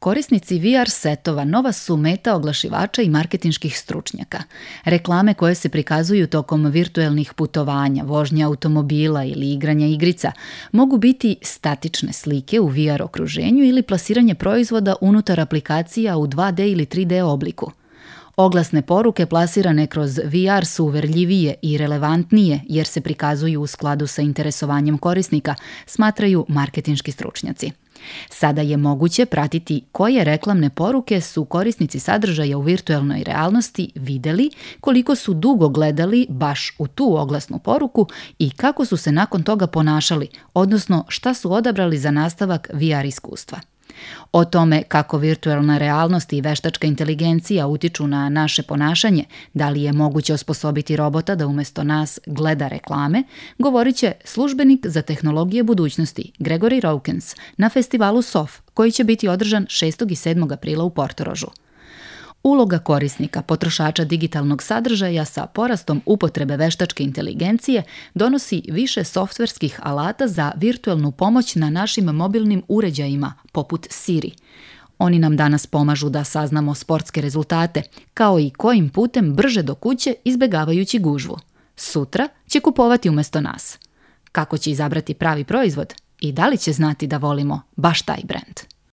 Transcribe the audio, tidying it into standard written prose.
Korisnici VR setova nova su meta oglašivača i marketinških stručnjaka. Reklame koje se prikazuju tokom virtuelnih putovanja, vožnje automobila ili igranja igrica mogu biti statične slike u VR okruženju ili plasiranje proizvoda unutar aplikacija u 2D ili 3D obliku. Oglasne poruke plasirane kroz VR su uverljivije i relevantnije jer se prikazuju u skladu sa interesovanjem korisnika, smatraju marketinški stručnjaci. Sada je moguće pratiti koje reklamne poruke su korisnici sadržaja u virtuelnoj realnosti vidjeli, koliko su dugo gledali baš u tu oglasnu poruku i kako su se nakon toga ponašali, odnosno šta su odabrali za nastavak VR iskustva. O tome kako virtualna realnost i veštačka inteligencija utiču na naše ponašanje, da li je moguće osposobiti robota da umjesto nas gleda reklame, govorit će službenik za tehnologije budućnosti Gregory Raukens na festivalu SOF, koji će biti održan 6. i 7. aprila u Portorožu. Uloga korisnika, potrošača digitalnog sadržaja sa porastom upotrebe veštačke inteligencije donosi više softverskih alata za virtualnu pomoć na našim mobilnim uređajima, poput Siri. Oni nam danas pomažu da saznamo sportske rezultate, kao i kojim putem brže do kuće izbjegavajući gužvu. Sutra će kupovati umjesto nas. Kako će izabrati pravi proizvod i da li će znati da volimo baš taj brend?